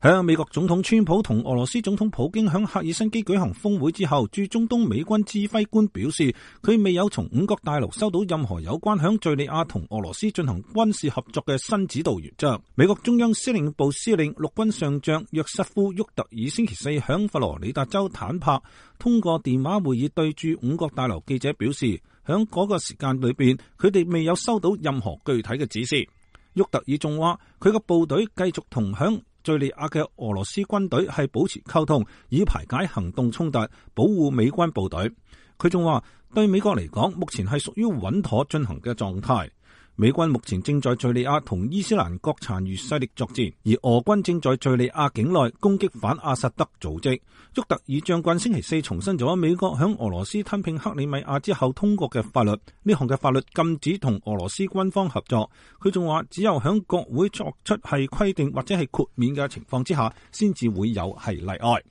喺美國總統川普同俄羅斯總統普京喺赫爾辛基舉行峰會之後，駐中東美軍指揮官表示，佢未有從五角大樓收到任何有關響敘利亞同俄羅斯進行軍事合作嘅新指導原則。美國中央司令部司令陸軍上將約瑟夫·沃特爾星期四響佛羅里達州坦帕通過電話會議對駐五角大樓記者表示，響嗰個時間裏邊，佢哋未有收到任何具體嘅指示。沃特爾仲話，佢嘅部隊繼續同響敘利亞嘅俄羅斯軍隊係保持溝通，以排解行動衝突，保護美軍部隊。佢仲話，對美國嚟講，目前係屬於穩妥進行嘅狀態。美軍目前正在敘利亞同伊斯蘭國殘餘勢力作戰，而俄軍正在敘利亞境內攻擊反阿薩德組織。沃特爾將軍星期四重申咗美國響俄羅斯吞併克里米亞之後通過嘅法律，呢項嘅法律禁止同俄羅斯軍方合作。佢仲話，只有響國會作出係規定或者係豁免嘅情況之下，先至會有係例外。